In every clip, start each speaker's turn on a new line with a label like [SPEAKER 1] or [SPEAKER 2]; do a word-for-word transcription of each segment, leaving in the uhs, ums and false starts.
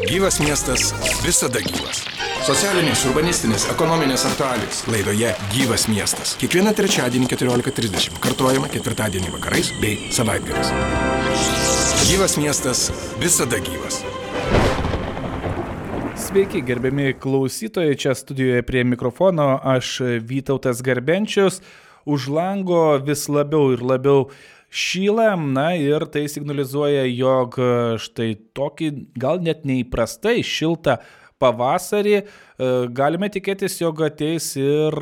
[SPEAKER 1] Gyvas miestas visada gyvas. Socialinės, urbanistinės, ekonominės aktualijos laidoje Gyvas miestas. Kiekvieną trečiadienį keturiolika trisdešimt. Kartuojama ketvirtadienį vakarais bei savaitgaliais. Gyvas miestas visada gyvas.
[SPEAKER 2] Sveiki, gerbiami klausytojai, čia studijoje prie mikrofono aš Vytautas Garbenčius. Už lango vis labiau ir labiau šyla, na ir tai signalizuoja, jog štai tokį gal net neįprastai šiltą pavasarį galime tikėtis, jog ateis ir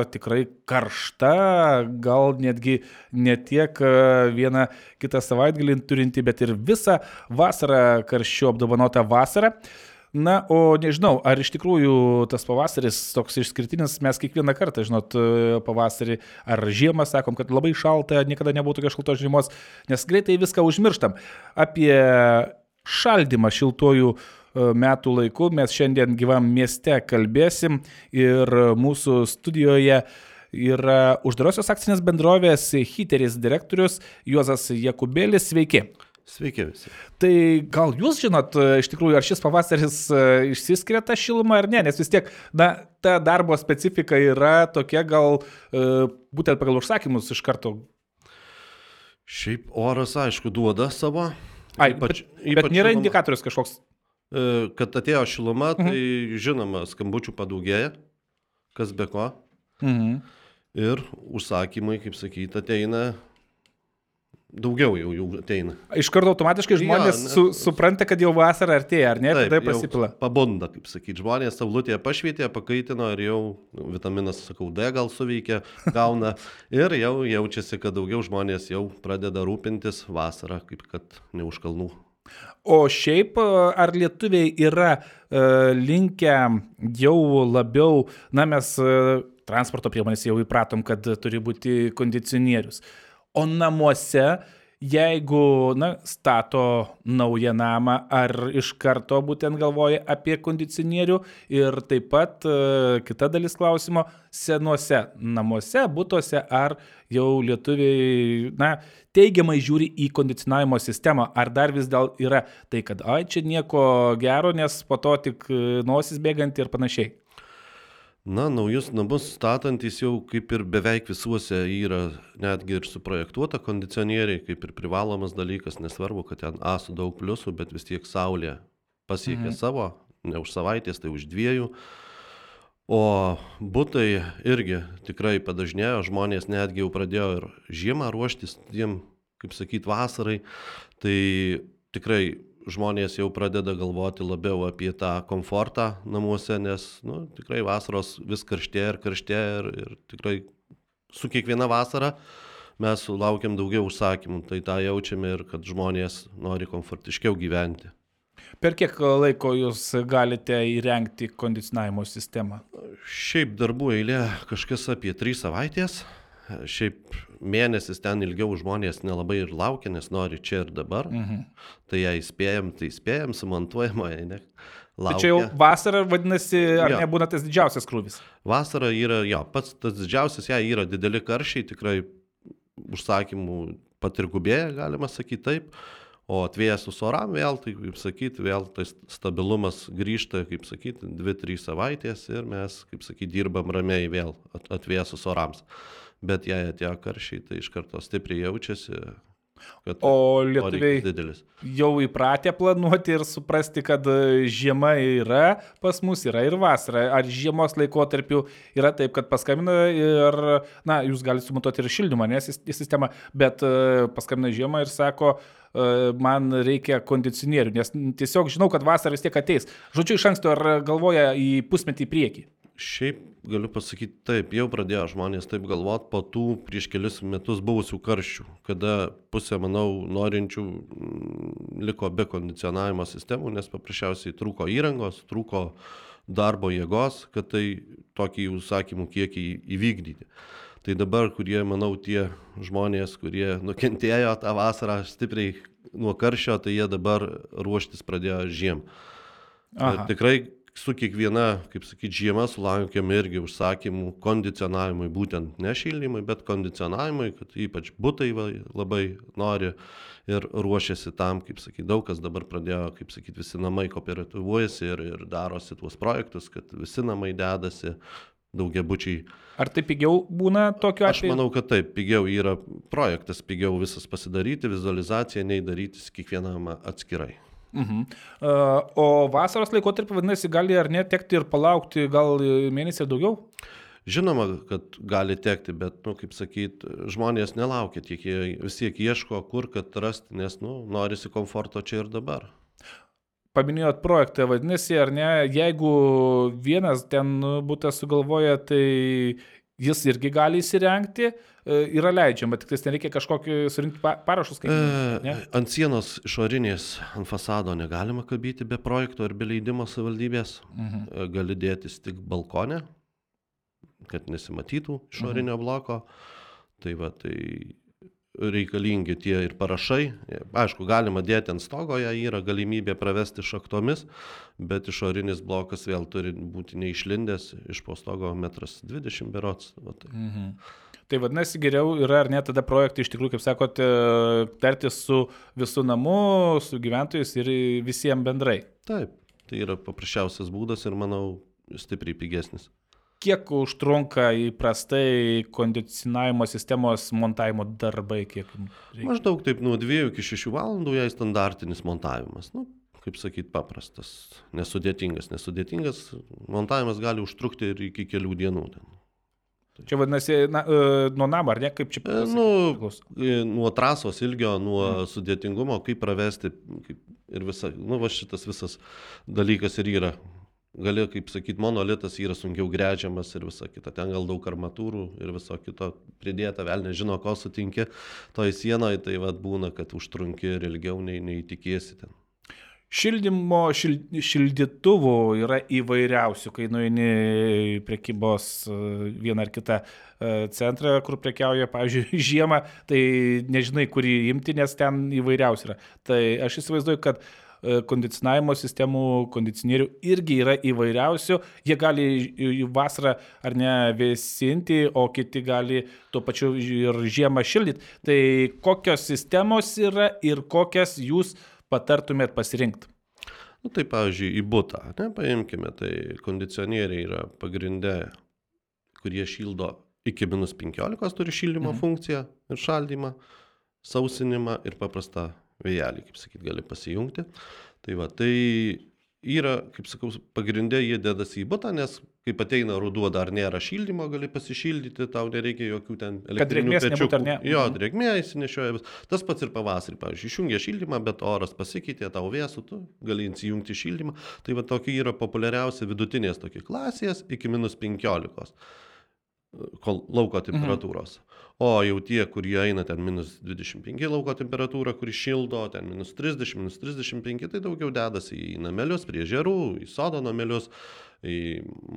[SPEAKER 2] tikrai karšta, gal netgi ne tiek vieną kitą savaitgalį turinti, bet ir visą vasarą karščiu apdovanota vasara. Na, o nežinau, ar iš tikrųjų tas pavasaris toks išskirtinis, mes kiekvieną kartą, žinot, pavasarį ar žiemą sakom, kad labai šalta, niekada nebuvo tokios šaltos žiemos, nes greitai viską užmirštam. Apie šaldymą šiltuoju metų laiku mes šiandien gyvam mieste kalbėsim ir mūsų studijoje yra uždarosios akcinės bendrovės Hiteris direktorius Juozas Jakubėlis. Sveiki.
[SPEAKER 3] Sveiki visi.
[SPEAKER 2] Tai gal jūs žinot, iš tikrųjų, ar šis pavasaris išsiskiria tą šilumą ar ne, nes vis tiek, na, ta darbo specifika yra tokia, gal būtent pagal užsakymus iš karto.
[SPEAKER 3] Šiaip oras, aišku, duoda savo.
[SPEAKER 2] Ai, ypač, bet, bet
[SPEAKER 3] ypač
[SPEAKER 2] nėra
[SPEAKER 3] šiluma,
[SPEAKER 2] indikatorius kažkoks.
[SPEAKER 3] Kad atėjo šiluma, tai
[SPEAKER 2] Mhm.
[SPEAKER 3] žinoma, skambučių padaugėja, kas be ko.
[SPEAKER 2] Mhm.
[SPEAKER 3] Ir užsakymai, kaip sakyti, ateina. Daugiau jau, jau ateina.
[SPEAKER 2] Iš karto automatiškai žmonės
[SPEAKER 3] Jo,
[SPEAKER 2] su,
[SPEAKER 3] nes-
[SPEAKER 2] supranta, kad jau vasara artėja, ar ne?
[SPEAKER 3] Taip,
[SPEAKER 2] Tada
[SPEAKER 3] jau
[SPEAKER 2] pasipila.
[SPEAKER 3] pabunda, kaip sakyti. Žmonės saulutėje pašvietė, pakaitino ir jau vitaminas, sakau, D gal suveikia, gauna. Ir jau jaučiasi, kad daugiau žmonės jau pradeda rūpintis vasarą, kaip kad ne už kalnų.
[SPEAKER 2] O šiaip, ar lietuviai yra e, linkę jau labiau, na mes e, transporto priemonės jau įpratom, kad turi būti kondicionierius. O namuose, jeigu, na, stato naują namą, ar iš karto būtent galvoja apie kondicionierių ir taip pat e, kita dalis klausimo, senuose namuose, butuose, ar jau lietuviai, na, teigiamai žiūri į kondicionavimo sistemą, ar dar vis dėl yra tai, kad ai, čia nieko gero, nes po to tik nosis bėganti ir panašiai.
[SPEAKER 3] Na, naujus namus statantys jau kaip ir beveik visuose yra netgi ir suprojektuota kondicionieriai, kaip ir privalomas dalykas, nesvarbu, kad ten A su daug pliusų, bet vis tiek saulė pasiekia
[SPEAKER 2] Mhm.
[SPEAKER 3] savo, ne už savaitės, tai už dviejų. O butai irgi tikrai padažnėjo, žmonės netgi jau pradėjo ir žiemą ruoštis tiem, kaip sakyt, vasarai, tai tikrai žmonės jau pradeda galvoti labiau apie tą komfortą namuose, nes nu, tikrai vasaros vis karštėja ir karštėja ir, ir tikrai su kiekviena vasara mes sulaukiam daugiau užsakymų, tai tą jaučiame ir kad žmonės nori komfortiškiau gyventi.
[SPEAKER 2] Per kiek laiko jūs galite įrengti kondicionavimo sistemą?
[SPEAKER 3] Šiaip darbų eilė kažkas apie trys savaitės. Šiaip mėnesis ten ilgiau žmonės nelabai ir laukia, nes nori čia ir dabar.
[SPEAKER 2] Mhm.
[SPEAKER 3] Tai jei spėjam, tai spėjam, sumontuojama, jei ne.
[SPEAKER 2] Tai čia jau vasara, vadinasi, ar
[SPEAKER 3] Jo.
[SPEAKER 2] nebūna tas didžiausias krūvis?
[SPEAKER 3] Vasara yra, jo, pats tas didžiausias, jei yra dideli karščiai, tikrai užsakymų patirgubėja, galima sakyti taip. O atvėsus oram vėl, tai kaip sakyti, vėl tas stabilumas grįžta, kaip sakyti, dvi trys savaitės ir mes, kaip sakyti, dirbam ramiai vėl atvėsus orams. Bet jei atėjo karščiai, tai iš karto stipriai jaučiasi, kad
[SPEAKER 2] O
[SPEAKER 3] poreikis
[SPEAKER 2] lietuviai
[SPEAKER 3] didelis.
[SPEAKER 2] jau įpratę planuoti ir suprasti, kad žiema yra pas mus, yra ir vasara. Ar žiemos laikotarpiu yra taip, kad paskambina ir, na, jūs galite sumontuoti ir šildymą, nes į sistemą, bet e, paskambina žiemą ir sako, e, man reikia kondicionierių, nes tiesiog žinau, kad vasara vis tiek ateis. Žodžiu, iš anksto ar galvoja į pusmetį į priekį?
[SPEAKER 3] Šiaip galiu pasakyti taip, jau pradėjo žmonės taip galvoti po tų prieš kelius metus buvusių karščių, kada pusė, manau, norinčių mm, liko be kondicionavimo sistemų, nes paprasčiausiai trūko įrangos, trūko darbo jėgos, kad tai tokį užsakymų kiekį įvykdyti. Tai dabar, kurie, manau, tie žmonės, kurie nukentėjo tą vasarą stipriai nuo karščio, tai jie dabar ruoštis pradėjo žiem.
[SPEAKER 2] Aha.
[SPEAKER 3] Tikrai su kiekviena, kaip sakyti, žiema sulaukiam irgi užsakymų kondicionavimui, būtent ne šildymui, bet kondicionavimui, kad ypač butai va, labai nori ir ruošiasi tam, kaip sakyti, daug kas dabar pradėjo, kaip sakyti, visi namai kooperatyvuojasi ir, ir darosi tuos projektus, kad visi namai dedasi, daugiabučiai.
[SPEAKER 2] Ar tai pigiau būna tokiu
[SPEAKER 3] Aš
[SPEAKER 2] atveju?
[SPEAKER 3] manau, kad taip, pigiau yra projektas, pigiau visas pasidaryti, vizualizaciją, nei darytis kiekvienam atskirai.
[SPEAKER 2] Mhm. Uh, o vasaros laikotarpį, vadinasi, gali ar netekti ir palaukti gal mėnesį ir daugiau?
[SPEAKER 3] Žinoma, kad gali tekti, bet, nu, kaip sakyt, žmonės nelaukia, tiek jie vis tiek ieško, kur kad rasti, nes, nu, norisi komforto čia ir dabar.
[SPEAKER 2] Paminėjot projektą, vadinasi, ar ne, jeigu vienas ten būtas sugalvoja, tai jis irgi gali įsirengti, yra leidžiama, tik tai nereikia kažkokį surinkti parašus. Kaip,
[SPEAKER 3] e, ant sienos išorinės, ant fasado negalima kabyti be projekto ar be leidimo savivaldybės, mhm. gali dėtis tik balkone, kad nesimatytų išorinio mhm. bloko, tai va, tai reikalingi tie ir parašai. Aišku, galima dėti ant stogo, ją yra galimybė pravesti šaktomis, bet išorinis blokas vėl turi būti neišlindęs iš po stogo metras dvidešimt berods. Va, tai.
[SPEAKER 2] Mhm. Tai vadinasi, geriau yra ar ne tada projektai iš tikrųjų, kaip sakote, tartis su visų namu, su gyventojais ir visiems bendrai.
[SPEAKER 3] Taip, tai yra paprasčiausias būdas ir, manau, stipriai pigesnis.
[SPEAKER 2] Kiek užtrunka įprastai kondicionavimo sistemos montavimo darbai? Kiek reikia?
[SPEAKER 3] Maždaug taip nuo dviejų iki šešių valandų jai standartinis montavimas. Nu, kaip sakyt, paprastas, nesudėtingas. Nesudėtingas montavimas gali užtrukti ir iki kelių dienų.
[SPEAKER 2] Čia vadinasi, na, nuo namo, ar ne? Kaip čia pasakyti?
[SPEAKER 3] Nu, nuo trasos ilgio, nuo hmm. sudėtingumo, kaip pravesti kaip ir visa, nu, va šitas visas dalykas ir yra. Gali, kaip sakyt, monolitas yra sunkiau gręžiamas ir visa kita. Ten gal daug armatūrų ir viso kito pridėta, vėl nežino, ko sutinki. Toj sienoje tai vat būna, kad užtrunki ir ilgiau nei, nei tikėsi ten.
[SPEAKER 2] Šildymo, šil, šildytuvų yra įvairiausių, kai nueini prekybos vieną ar kitą centrą, kur prekiauja, pavyzdžiui, žiemą, tai nežinai, kurį imti, nes ten įvairiausių yra. Tai aš įsivaizduoju, kad kondicionavimo sistemų, kondicionierių irgi yra įvairiausių. Jie gali vasarą ar ne vėsinti, o kiti gali tuo pačiu ir žiemą šildyti. Tai kokios sistemos yra ir kokias jūs patartumėt pasirinkti?
[SPEAKER 3] Nu, tai, pavyzdžiui, į butą, ne, paimkime, tai kondicionieriai yra pagrinde, kurie šildo iki minus penkiolikos, turi šildymo mhm. funkciją ir šaldymą, sausinimą ir paprastą vėjelį, kaip sakyt, gali pasijungti. Tai va, tai yra, kaip sakau, pagrindė jie dedasi į butą, nes kaip ateina ruduo, dar nėra šildymo, gali pasišildyti, tau nereikia jokių ten elektrinių pečiukų. Ne? Jo, drėgmė įsinešioja. Tas pats ir pavasarį, pavyzdžiui, išjungia šildymą, bet oras pasikeitė, tau vėsų, tu gali įsijungti šildymą. Tai va, tokie yra populiariausi vidutinės tokie klasės iki minus penkiolikos lauko temperatūros. Mhm. O jau tie, kurie eina ten minus dvidešimt penki lauko temperatūra, kuri šildo, ten minus trisdešimt, minus trisdešimt penki, tai daugiau dedasi į namelius, prie ežerų, į sodo namelius, į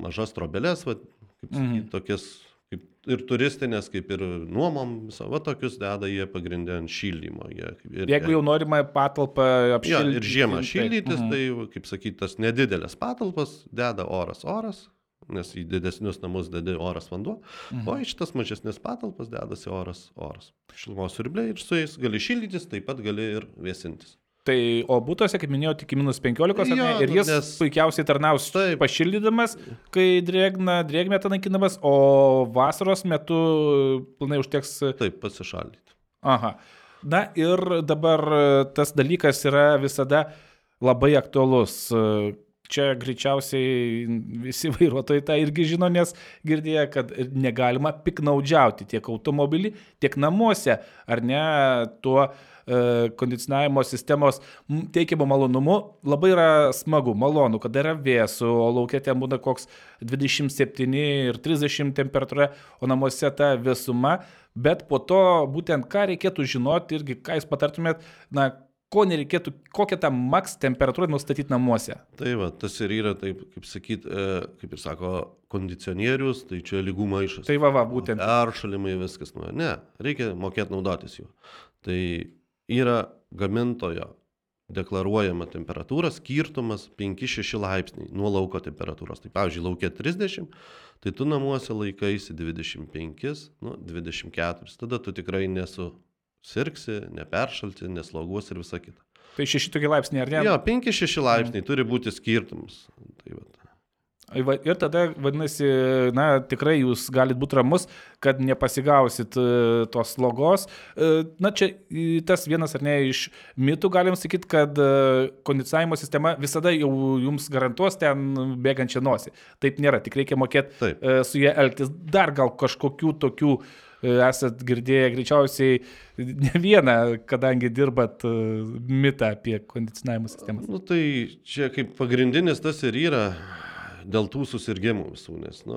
[SPEAKER 3] mažas trobelės, va, kaip sakyti, mhm. tokias kaip ir turistinės, kaip ir nuomom, viso, va, tokius deda jie pagrindė ant šildymo. Jie, ir,
[SPEAKER 2] Jeigu jau norima patalpą apšildyti.
[SPEAKER 3] Ja, ir žiemą šildytis, mhm. tai, kaip sakyti, tas nedidelės patalpas deda oras oras, nes į didesnius namus dedi oras vanduo, mhm. o į šitas mažesnės patalpas dedasi oras oras. Šilumos siurbliai ir su jais gali šildytis, taip pat gali ir vėsintis.
[SPEAKER 2] Tai, o būtuose, kaip minėjau, tik minus penkiolikos, jo, ir jis nes... puikiausiai tarnaus taip. Pašildydamas, kai drėgna, drėgmė naikinamas, o vasaros metu pilnai užteks...
[SPEAKER 3] Taip, pasišaldyti.
[SPEAKER 2] Aha. Na ir dabar tas dalykas yra visada labai aktualus. Čia greičiausiai visi vairuotojai tą irgi žino, nes girdėjo, kad negalima piknaudžiauti tiek automobilį, tiek namuose, ar ne, tuo e, kondicionavimo sistemos teikiamo malonumu. Labai yra smagu, malonu, kada yra vėsu, o laukia ten būna koks dvidešimt septyni ir trisdešimt temperatūra, o namuose ta vėsuma, bet po to būtent ką reikėtų žinoti irgi, ką jūs patartumėt, na, ko nereikėtų, kokią tą maks temperatūrą nustatyti namuose.
[SPEAKER 3] Tai va, tas ir yra, taip, kaip sakyt, kaip ir sako, kondicionierius, tai čia lygų maišas.
[SPEAKER 2] Tai va, va, būtent.
[SPEAKER 3] Peršalimai viskas. Ne, reikia mokėti naudotis jų. Tai yra gamintojo deklaruojama temperatūra, skirtumas penki šeši laipsniai nuo lauko temperatūros. Tai pavyzdžiui, lauke trisdešimt, tai tu namuose laikaisi dvidešimt penki, nu, dvidešimt keturi. Tada tu tikrai nesusirgsi, neperšalti, nesloguosi ir visa kita.
[SPEAKER 2] Tai šeši tokie laipsniai, ar ne?
[SPEAKER 3] Jo, penki šeši laipsniai mm. turi būti skirtumas. Tai va.
[SPEAKER 2] Ir tada, vadinasi, na, tikrai jūs galite būti ramus, kad nepasigausit tos slogos. Na, čia tas vienas ar ne iš mitų, galim sakyti, kad kondicionavimo sistema visada jau jums garantuos ten bėgančią nosį. Taip nėra, tik reikia mokėti Taip. su jie elgtis. Dar gal kažkokių tokių esat girdėję greičiausiai ne vieną, kadangi dirbat mitą apie kondicionavimo sistemą.
[SPEAKER 3] Nu, tai čia kaip pagrindinis tas ir yra. Dėl tų susirgimų visų, nes, nu,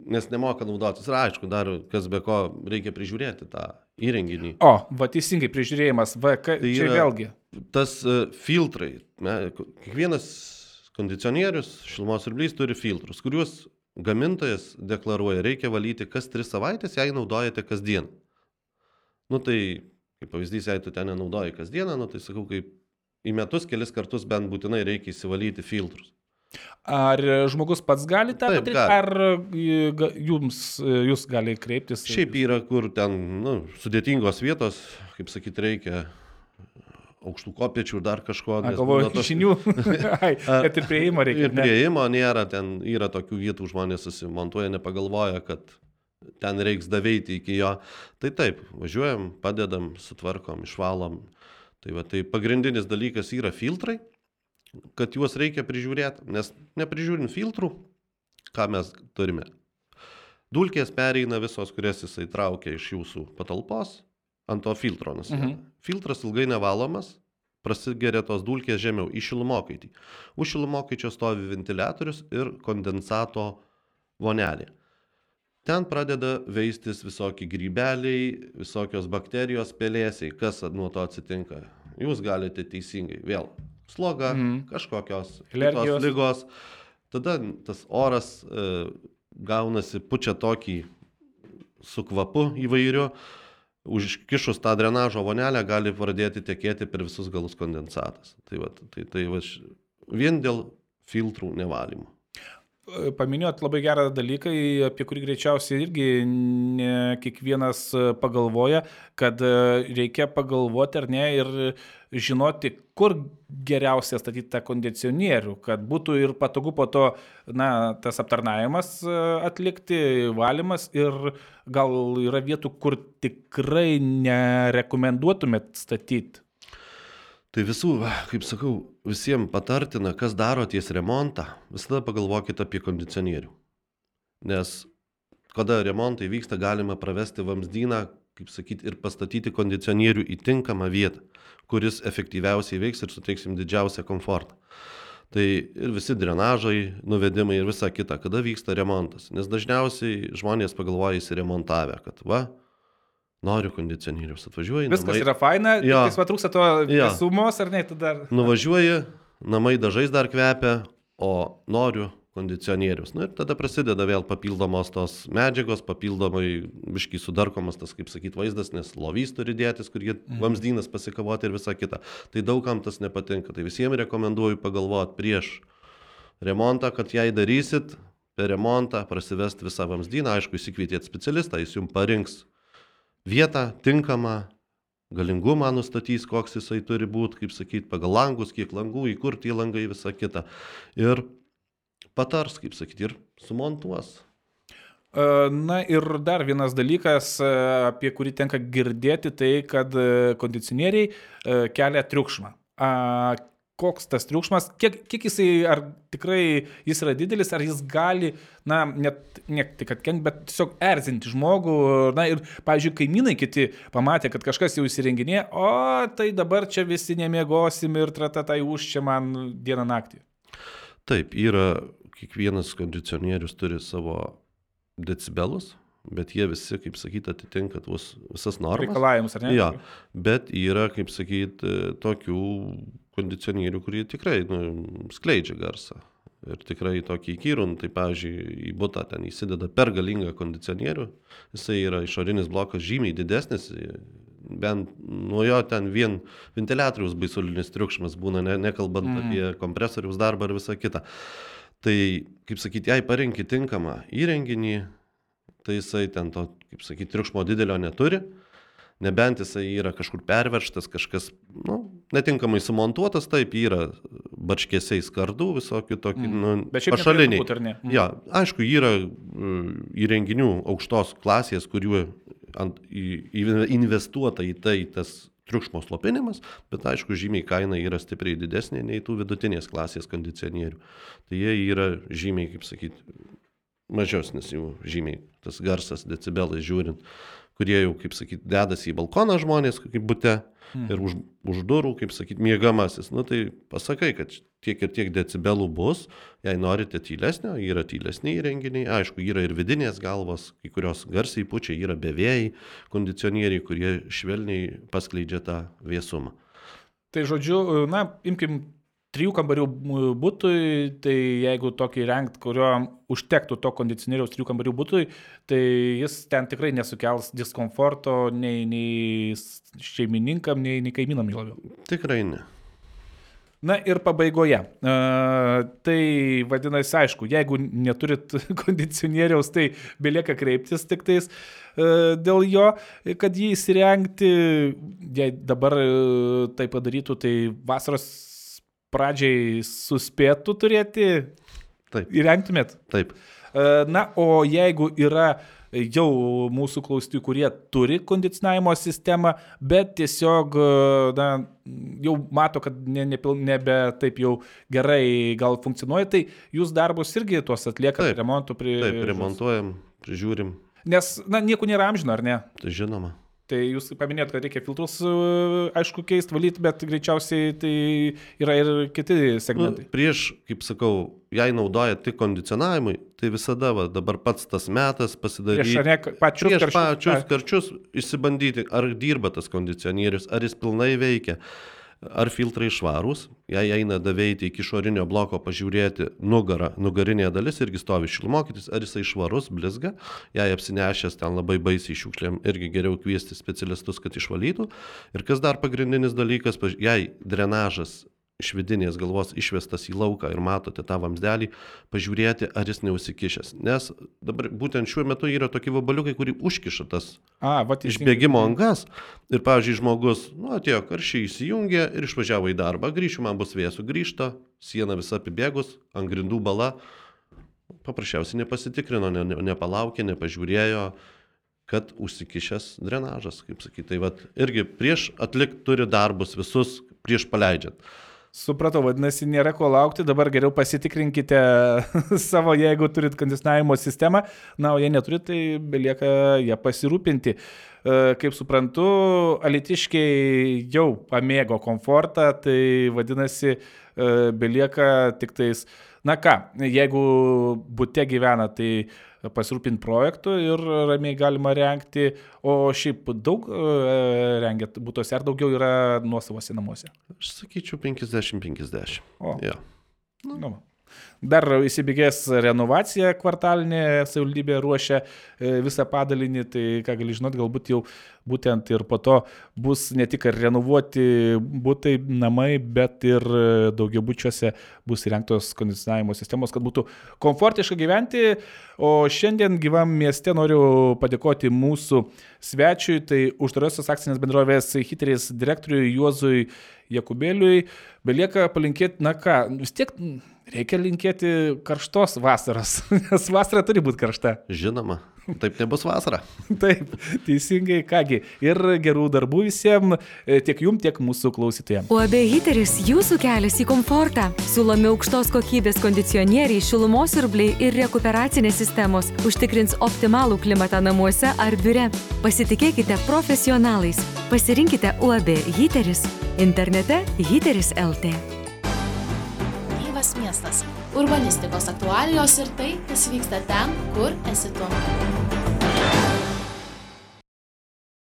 [SPEAKER 3] nes nemoka naudotis. Ir aišku, dar kas be ko reikia prižiūrėti tą įrenginį.
[SPEAKER 2] O, va teisingai, prižiūrėjimas, va, ka, tai čia vėlgi.
[SPEAKER 3] Tas uh, filtrai, ne, kiekvienas kondicionierius, šilumos siurblys turi filtrus, kuriuos gamintojas deklaruoja, reikia valyti kas tris savaitės, jei naudojate kasdien. Nu tai, kaip pavyzdys, jei tu ten nenaudoji kasdieną, nu tai sakau, kaip į metus kelis kartus bent būtinai reikia įsivalyti filtrus.
[SPEAKER 2] Ar žmogus pats gali tą Taip, padaryti, gali. Ar jums, jūs gali kreiptis?
[SPEAKER 3] Šiaip yra, kur ten nu, sudėtingos vietos, kaip sakyti, reikia aukštų kopiečių ir dar kažko.
[SPEAKER 2] A, galvoju, tos... žinių, kad ir prieimo reikia.
[SPEAKER 3] Ir prieimo nėra, ten yra tokių vietų, žmonės susimontuoja, nepagalvoja, kad ten reiks daveiti iki jo. Tai taip, važiuojam, padedam, sutvarkom, išvalom. Tai, va, tai pagrindinis dalykas yra filtrai, kad juos reikia prižiūrėti, nes neprižiūrint filtrų, ką mes turime. Dulkės pereina visos, kurias jisai traukia iš jūsų patalpos, ant to filtro nusideda. Mhm. Filtras ilgai nevalomas, prasigeria tos dulkės žemiau į šilumokaitį. Už šilumokaičio stovi ventiliatorius ir kondensato vonelė. Ten pradeda veistis visokie grybeliai, visokios bakterijos, pelėsiai. Kas nuo to atsitinka? Jūs galite teisingai vėl. Sloga, mm. kažkokios kitos ligos. Tada tas oras e, gaunasi, pučia tokį su kvapu įvairiu. Užkišus tą drenažo vonelę gali pradėti tekėti per visus galus kondensatas. Tai, va, tai, tai va, vien dėl filtrų nevalymo.
[SPEAKER 2] Paminėjot labai gerą dalyką, apie kurį greičiausiai irgi ne kiekvienas pagalvoja, kad reikia pagalvoti ar ne ir žinoti, kur geriausia statyti tą kondicionierių, kad būtų ir patogu po to na, tas aptarnavimas atlikti, valymas ir gal yra vietų, kur tikrai nerekomenduotumėt statyti.
[SPEAKER 3] Tai visų, kaip sakau, visiems patartina, kas daro ties remontą, visada pagalvokite apie kondicionierių. Nes kada remontai vyksta, galima pravesti vamzdyną, kaip sakyti, ir pastatyti kondicionierių į tinkamą vietą, kuris efektyviausiai veiks ir suteiksim didžiausią komfortą. Tai ir visi drenažai, nuvedimai ir visa kita, kada vyksta remontas. Nes dažniausiai žmonės pagalvoja įsiremontavę, kad va, noriu kondicionierius, atvažiuoji.
[SPEAKER 2] Viskas
[SPEAKER 3] namai...
[SPEAKER 2] yra faina,
[SPEAKER 3] ja.
[SPEAKER 2] tik va trūksta to ja. Sumos, ar ne? Dar...
[SPEAKER 3] Nuvažiuoji, namai dažais dar kvepia, o noriu kondicionierius. Na ir tada prasideda vėl papildomos tos medžiagos, papildomai biškai sudarkomas tas, kaip sakyt, vaizdas, nes lovys turi dėtis, kur jie mm. vamzdynas pasikavoti ir visa kita. Tai daugam tas nepatinka. Tai visiems rekomenduoju pagalvoti prieš remontą, kad jei darysit, per remontą prasivesti visą vamzdyną, aišku, įsikvietėt specialistą, jis jums parinks vietą tinkamą, galingumą nustatys, koks jisai turi būti, kaip sakyti, pagal langus, kiek langų, į kur tie langai, visa kita. Ir patars, kaip sakyti, ir sumontuos.
[SPEAKER 2] Na ir dar vienas dalykas, apie kurį tenka girdėti, tai kad kondicionieriai kelia triukšmą. Koks tas triukšmas, kiek, kiek jisai, ar tikrai jis yra didelis, ar jis gali, na, net, ne tik atkenkt, bet tiesiog erzinti žmogų, na ir, pavyzdžiui, kaimynai kiti pamatė, kad kažkas jau įsirenginė, o tai dabar čia visi nemiegosim ir tratatai už čia man dieną naktį.
[SPEAKER 3] Taip, yra, kiekvienas kondicionierius turi savo decibelus, bet jie visi, kaip sakyti, atitinka tuos visas normas.
[SPEAKER 2] Reikalavimus, ar ne?
[SPEAKER 3] Ja, bet yra, kaip sakyti, tokių kondicionierių, kurie tikrai nu, skleidžia garsą. Ir tikrai tokį įkyrų, tai pavyzdžiui, į butą ten įsideda per galingą kondicionierių, jisai yra išorinis blokas žymiai didesnis bent nuo jo ten vien ventiliatoriaus baisulinis triukšmas būna, ne, nekalbant mm. apie kompresoriaus darbą ir visą kitą. Tai, kaip sakyti, jei parinki tinkamą įrenginį, tai jisai ten to, kaip sakyti, triukšmo didelio neturi. Nebent jisai yra kažkur perverštas, kažkas nu, netinkamai sumontuotas, taip yra barškėsiai skardų, visokių tokių mm. nu, pašaliniai. Mm. Ja, aišku, yra įrenginių aukštos klasės, kuriuo ant, į, investuota į tai tas triukšmo slopinimas, bet aišku, žymiai kaina yra stipriai didesnė nei tų vidutinės klasės kondicionierių. Tai jie yra žymiai, kaip sakyti, mažesnis jų žymiai, tas garsas decibelais žiūrint, kurie jau, kaip sakyti, dedasi į balkoną žmonės, kaip bute, hmm. ir už, už durų, kaip sakyti, miegamasis. Nu tai pasakai, kad tiek ir tiek decibelų bus, jei norite tylesnio, yra tylesni įrenginiai, aišku, yra ir vidinės galvos, kai kurios garsiai pučiai, yra bevėjai kondicionieriai, kurie švelniai paskleidžia tą vėsumą.
[SPEAKER 2] Tai žodžiu, na, imkim trijų kambarių butui, tai jeigu tokį rengt, kurio užtektų to kondicionieriaus trijų kambarių butui, tai jis ten tikrai nesukels diskomforto nei, nei šeimininkam, nei, nei kaimynam labiau.
[SPEAKER 3] Tikrai ne.
[SPEAKER 2] Na ir pabaigoje. Uh, tai vadinasi, aišku, jeigu neturit kondicionieriaus, tai belieka kreiptis tik tais uh, dėl jo, kad jį įsirengti. Jei dabar uh, tai padarytų, tai vasaros pradžiai suspėtų turėti, taip. Įrengtumėt?
[SPEAKER 3] Taip.
[SPEAKER 2] Na, o jeigu yra jau mūsų klausytojų, kurie turi kondicionavimo sistemą, bet tiesiog na, jau mato, kad ne, ne, nebe taip jau gerai gal funkcionuoja, tai jūs darbus irgi tuos atliekat, remontų prie...
[SPEAKER 3] Taip, remontuojam, prižiūrim.
[SPEAKER 2] Nes, na, nieko nėra amžino, ar ne?
[SPEAKER 3] Tai žinoma.
[SPEAKER 2] Tai jūs paminėjot, kad reikia filtrus, aišku, keisti, valyti, bet greičiausiai tai yra ir kiti segmentai.
[SPEAKER 3] Nu, prieš, kaip sakau, jei naudoja tik kondicionavimui, tai visada va, dabar pats tas metas pasidaryti.
[SPEAKER 2] Prieš, ne, pačius,
[SPEAKER 3] prieš
[SPEAKER 2] karčius,
[SPEAKER 3] pačius karčius išsibandyti, ar dirba tas kondicionierius, ar jis pilnai veikia. Ar filtrai švarūs, jei eina daveiti iki išorinio bloko pažiūrėti nugarą, nugarinė dalis irgi stovi šilmokytis, ar jisai švarus, blizga, jei apsinešęs ten labai baisiai šiukšlėm, irgi geriau kviesti specialistus, kad išvalytų. Ir kas dar pagrindinis dalykas, jei drenažas iš vidinės galvos išvestas į lauką ir matote tą vamsdelį, pažiūrėti, ar jis neužsikišęs. Nes dabar būtent šiuo metu yra tokie vabaliukai, kurį užkiša tas
[SPEAKER 2] A, va,
[SPEAKER 3] išbėgimo angas. Ir, pavyzdžiui, žmogus, nu, atėjo karščiai įsijungė ir išvažiavo į darbą. Grįšiu, man bus vėsų, grįžta, siena visa apibėgus, ant grindų bala. Paprasčiausiai nepasitikrino, ne, ne, nepalaukė, nepažiūrėjo, kad užsikišęs drenažas, kaip sakyti. Tai vat, irgi prieš atlikt turi darbus visus, prieš paleidžiant.
[SPEAKER 2] Supratau, vadinasi, nėra ko laukti, dabar geriau pasitikrinkite savo, jeigu turit kondicionavimo sistemą, na, o jei neturit, tai belieka ją pasirūpinti. Kaip suprantu, alytiškiai jau pamėgo komfortą, tai vadinasi, belieka tik tais, na ką, jeigu bute gyvena, tai pasirūpinti projektų ir ramiai galima rengti, o šiaip daug rengiat butuose, ar daugiau yra nuosavose namuose?
[SPEAKER 3] Aš sakyčiau penkiasdešimt penkiasdešimt.
[SPEAKER 2] O,
[SPEAKER 3] ja.
[SPEAKER 2] nu. Nu. Dar įsibėgės renovacija kvartalinė, savivaldybė ruošia visą padalinį, tai ką gali žinot, galbūt jau būtent ir po to bus ne tik renovuoti butai, namai, bet ir daugiabučiuose bus įrengtos kondicionavimo sistemos, kad būtų komfortiška gyventi. O šiandien gyvam mieste noriu padėkoti mūsų svečiui, tai uždarosios akcinės bendrovės Hiteris direktoriui Juozui Jakubėliui. Belieka palinkėti, na ką, vis tiek reikia linkėti karštos vasaros, nes vasara turi būti karšta.
[SPEAKER 3] Žinoma, taip nebus vasara.
[SPEAKER 2] Taip, teisingai, kągi. Ir gerų darbų visiems, tiek jum, tiek mūsų klausytojams.
[SPEAKER 4] U A B Hiteris jūsų kelias į komfortą. Siūlomi aukštos kokybės kondicionieriai, šilumos siurbliai ir rekuperacinės sistemos užtikrins optimalų klimatą namuose ar biure. Pasitikėkite profesionalais. Pasirinkite U A B Hiteris. Internete hiteris taškas el tė.
[SPEAKER 5] Gyvas miestas. Urbanistikos aktualijos ir tai, kas vyksta ten, kur esi tu.